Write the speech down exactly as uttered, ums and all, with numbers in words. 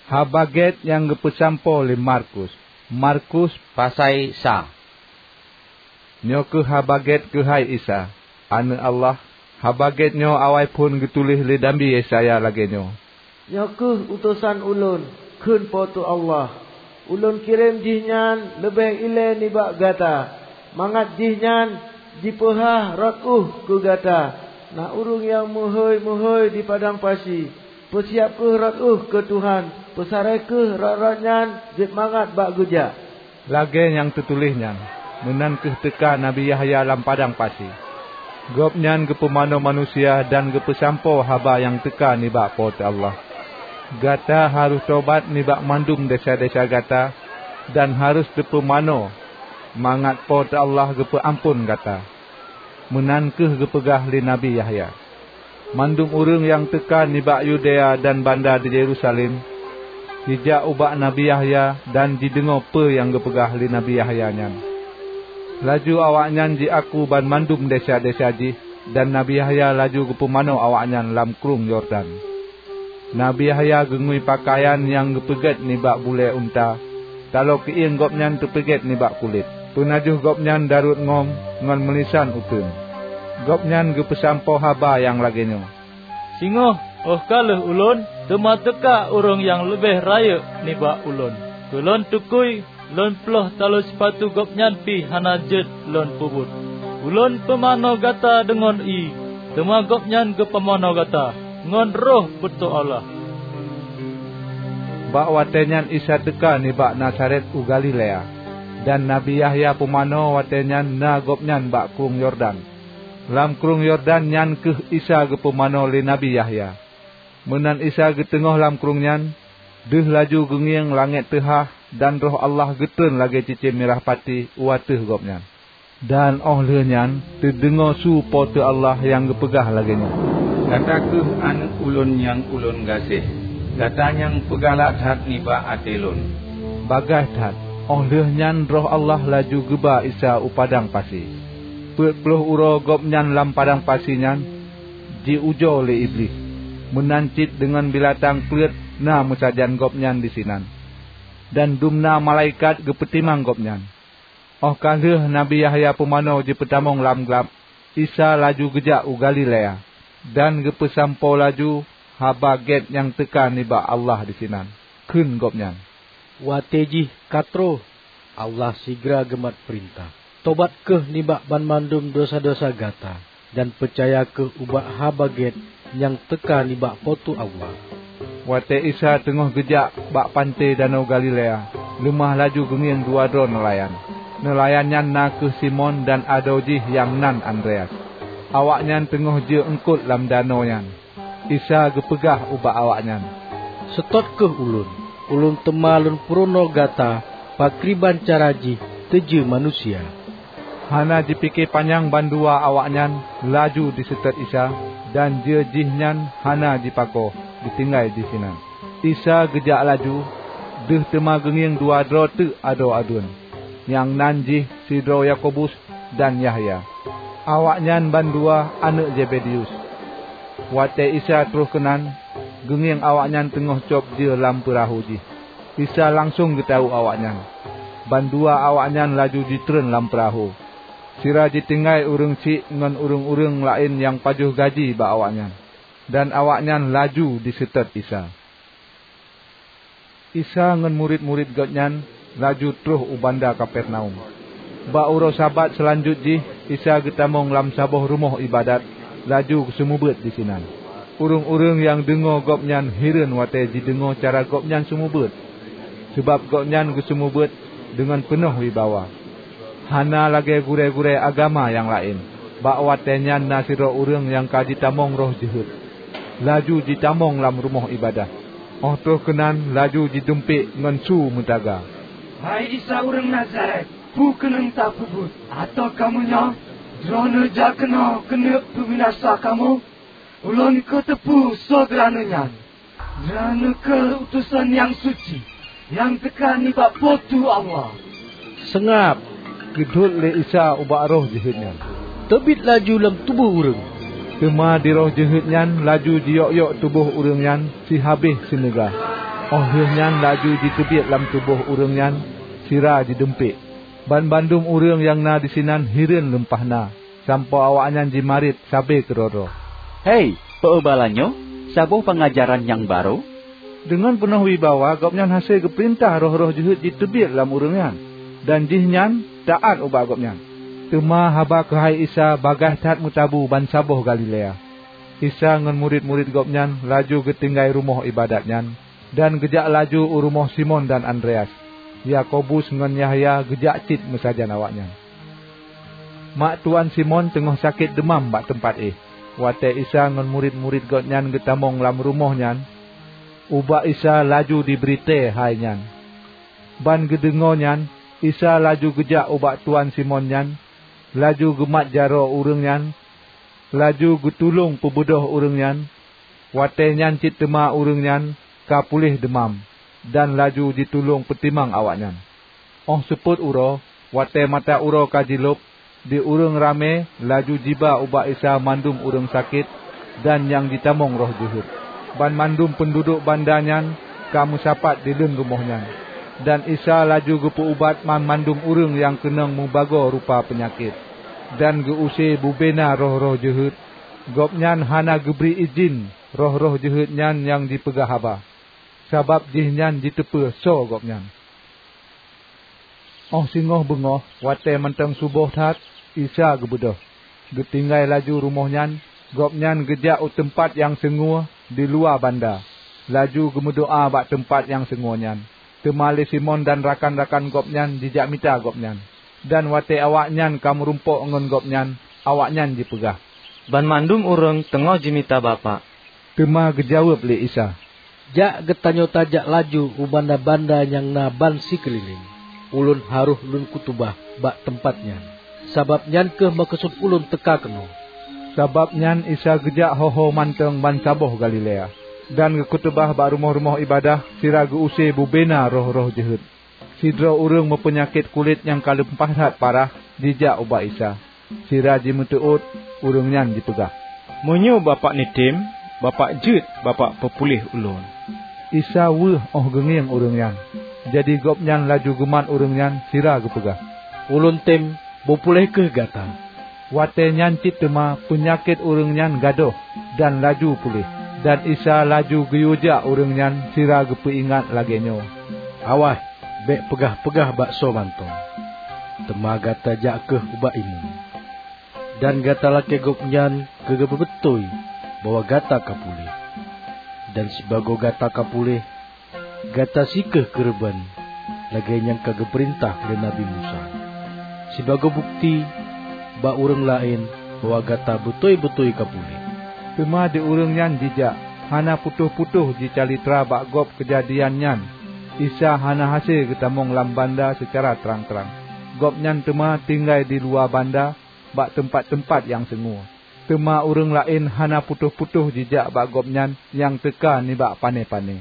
Haba Gét nyang geupeusampoe lé Markus. Markus pasai sa. Nyoe kheueh Haba Gét keuhai Isa, Aneuëk Allah. Haba Gét nyoe awai phon geutuléh lé Nabi Yesaya lagée nyoe, "Nyoe kheueh utosan Ulôn," kheun Po teu Allah. "Ulôn kirém Jihnyan leubeh ilée nibak gata, mangat Jihnyan jipeuhah rot ueh keu gata. Na ureuëng nyang meuhôi-meuhôi di padang pasi, 'Peusiab kheueh rot ueh keu Tuhan, peusarai kheueh rot-rot nyan jeuet mangat bak geujak.'" Lagée nyang teutuléh nyan, meunan kheueh teuka Nabi Yahya lam padang pasi. Gobnyan geupumanö manusia dan geupeusampoe haba nyang teuka nibak Po teu Allah. Gata harôh tobat nibak mandum desya-desya gata dan harôh teupumanö, mangat Po teu Allah geupeuamphon gata. Meunan kheueh geupeugah lé Nabi Yahya. Mandum ureuëng nyang teuka nibak Yudea dan banda di Yerusalem, jijak ubak Nabi Yahya dan jideungoe peue nyang geupeugah lé Nabi Yahya nyan. Laju awaknyan jiaku banmandum desya-desya jih, dan Nabi Yahya laju geupumanö awaknyan lam Krueng Yordan. Nabi Yahya geungui peukayan nyang geupeugét nibak bulée unta, taloe keuieng gobnyan teupeugét nibak kulét. Peunajoh gobnyan darôt ngom ngon meulisan uteuen. Gobnyan geupeusampoe haba nyang lagée nyoe, "Singoh óh ka lheueh ulôn, teuma teuka ureuëng nyang leubeh rayeuk nibak ulôn. Keu lôn tukui, lôn ploh taloe sipatu gobnyan pih hana jeuet lôn peubuet. Ulôn pumanö gata deungon ié, teuma gobnyan geupumanö gata ngon Roh Po teu Allah." Bak watée nyan Isa teuka nibak Nazaret u Galilea, dan Nabi Yahya pumanö watée nyan na gobnyan bak Krueng Yordan. Lam Krueng Yordan nyan kheueh Isa geupumanö lé Nabi Yahya. Meunan Isa geuteungoh lam krueng nyan, deuh laju geungieng langét teuhah dan Roh Allah geutreun lagée cicém mirah pati u ateueh Gobnyan. Dan óh lheueh nyan teudeungoe su Po teu Allah nyang geupeugah lagée nyoe, "Gata kheueh Aneuëk Ulôn nyang Ulôn gaséh, gata nyang peugalak that nibak até Lôn." Bagaih that, óh lheueh nyan Roh Allah laju geuba Isa u padang pasi. Peuet ploh uroe Gobnyan lam padang pasi nyan, jiujoe lé Iblih. Meunan cit deungon beulatang kleuet na meusajan Gobnyan disinan, dan dumna malaikat geupeutimang Gobnyan. Óh ka lheueh Nabi Yahya Pumanö jipeutamong lam glab, Isa laju geujak u Galilea, dan geupeusampoe laju Haba Gét nyang teuka nibak Allah disinan. Kheun Gobnyan, "Watée jih ka troh, Allah sigra geumat peurintah. Tobat kheueh nibak banmandum desya-desya gata, dan peucaya kheueh ubak Haba Gét nyang teuka nibak Po teu Allah." Watée Isa teungoh geujak bak panté Danau Galilea, leumah laju geungieng dua droe neulayan. Neulayan nyan na kheueh Simon dan adoe jih nyang nan Andreas. Awaknyan teungoh jeu eungkot lam danau nyan. Isa geupeugah ubak awaknyan, "Seutôt kheueh Ulôn, Ulôn teuma Lôn peurunoe gata pakriban cara jih teujeu manusia." Hana jipike panyang bandua awaknyan laju jiseutôt Isa, dan jeu jih nyan hana jipakoe, geutinggai disinan. Isa geujak laju, deuh teuma geungieng dua droe teuk adoe aduen, nyang nan jih sidroe Yakobus dan Yahya. Awaknyan bandua aneuëk Zebedeus. Watée Isa troh keunan, geungieng awaknyan teungoh cob jeue lam peurahô jih. Isa langsong geutawök awaknyan. Bandua awaknyan laju jitreun lam peurahô, sira jitinggai ureuëng syiek ngon ureuëng-ureuëng laén nyang pajoh gaji bak awaknyan, dan awaknyan laju jiseutôt Isa. Isa ngon murit-murit Gobnyan laju troh u banda Kapernaum. Bak uroe Sabat seulanjut jih Isa geutamong lam saboh rumoh iébadat, laju geuseumeubeuet disinan. Ureuëng-ureuëng nyang deungoe Gobnyan hireuen watée jideungoe cara Gobnyan seumeubeuet, sabab Gobnyan geuseumeubeuet deungon peunoh wibawa. Hana lagée gurée-gurée agama nyang laén, bak watée nyan na sidroe ureuëng nyang ka jitamong roh jeuhet, laju jitamong lam rumoh iébadat. Óh troh keunan laju jidumpék ngon su meutaga, "Hai Isa ureuëng Nazaret, peue keuneuk tapeubuet? Atawa kamoe nyoe Droeneueh jak keunoe keuneuk peubinasa kamoe? Ulôn ka teupeu soe Droeneueh nyan. Droeneueh kheueh utosan nyang suci, nyang teuka nibak Po teu Allah." "Seungab!" geudhôt lé Isa ubak roh jeuhet nyan, "Teubiet laju lam tuboh ureuëng!" Teuma di roh jeuhet nyan laju jiyok-yok tuboh ureuëng nyan sihabéh sineuga. Óh lheueh nyan laju jiteubiet lam tuboh ureuëng nyan sira jidumpék. Banmandum ureuëng nyang na disinan hireuen lumpah na, sampoe awaknyan jimarit sabe keudroe-droe, "Hei, peu bala nyoe? Saboh peungajaran nyang barô? Deungon peunoh wibawa Gobnyan hase geupeurintah roh-roh jeuhet jiteubiet lam ureuëng nyan, dan jihnyan taát ubak Gobnyan." Teuma haba keuhai Isa bagaih that meutabu bansaboh Galilea. Isa ngon murit-murit Gobnyan laju geutinggai rumoh iébadat nyan, dan geujak laju u rumoh Simon dan Andreas. Yakobus ngon Yahya geujak cit meusajan awaknyan. Mak tuan Simon teungoh sakét deumam bak teumpat éh. Watée Isa ngon murit-murit Gobnyan geutamong lam rumoh nyan, ubak Isa laju jibri tée hai nyan. Ban geudeungoe nyan, Isa laju geujak ubak tuan Simon nyan, laju geumat jaroe ureuëng nyan, laju geutulông peubeudôh ureuëng nyan. Watée nyan cit teuma ureuëng nyan ka puléh deumam, dan laju jitulông peutimang awaknyan. Óh seupôt uroe, watée mata uroe ka jilôb, di ureuëng ramé laju jiba ubak Isa mandum ureuëng sakét dan nyang jitamong roh jeuhet. Banmandum peunduduek banda nyan ka meusapat di leuen rumoh nyan, dan Isa laju geupeu-ubat banmandum ureuëng nyang keunong mubagoe rupa peunyakét, dan geu-use bubena roh-roh jeuhet. Gobnyan hana geubri idhin roh-roh jeuhet nyan nyang jipeugah haba, sabab jihnyan jiteupeue soe Gobnyan. Óh singoh beungoh, watée mantong suboh that, Isa geubeudôh. Geutinggai laju rumoh nyan, Gobnyan geujak u teumpat nyang seungue di luwa banda, laju geumeudoá bak teumpat nyang seungue nyan. Teuma lé Simon dan rakan-rakan gobnyan jijak mita Gobnyan. Dan watée awaknyan ka meurumpok ngon Gobnyan, awaknyan jipeugah, "Banmandum ureuëng teungoh jimita Bapak." Teuma geujaweueb lé Isa, "Jak geutanyoe tajak laju u banda-banda nyang na ban sikeulileng. Ulôn harôh Lôn khutubah bak teumpat nyan, sabab nyan kheueh meukeusut Ulôn teuka keunoe." Sabab nyan Isa geujak ho-ho mantong bansaboh Galilea, dan geukhutubah bak rumoh-rumoh iébadat sira geu-use bubena roh-roh jeuhet. Sidroe ureuëng meupeunyakét kulét nyang ka lumpah that parah jijak ubak Isa. Sira jimeuteuôt, ureuëng nyan jipeugah, "Meunyoe Bapak neutem, Bapak jeuet Bapak peupuléh ulôn." Isa weueh óh geungieng ureuëng nyan, jadi Gobnyan laju geumat ureuëng nyan sira geupeugah, "Ulôn tem, beupuléh kheueh gata." Watée nyan cit teuma peunyakét ureuëng nyan gadôh dan laju puléh. Dan Isa laju geuyue jak ureuëng nyan sira geupeuingat lagée nyoe, "Awaih, bék peugah-peugah bak soe mantong, teuma gata jak kheueh ubak imeum, dan gata lakée gobnyan keu geupeubeutôi bahwa gata ka puléh. Dan sibagoe gata ka puléh, gata sie kheueh keureubeuen lagée nyang ka geupeurintah lé Nabi Musa, sibagoe bukeuti bak ureuëng laén bahwa gata beutôi-beutôi ka puléh." Teuma di ureuëng nyan jijak, hana putôh-putôh jicalitra bak gob keujadian nyan. Isa hana hase geutamong lam banda seucara trang-trang. Gobnyan teuma tinggai di luwa banda bak teumpat-teumpat nyang seungue. Teuma ureuëng laén hana putôh-putôh jijak bak Gobnyan nyang teuka nibak pané-pané.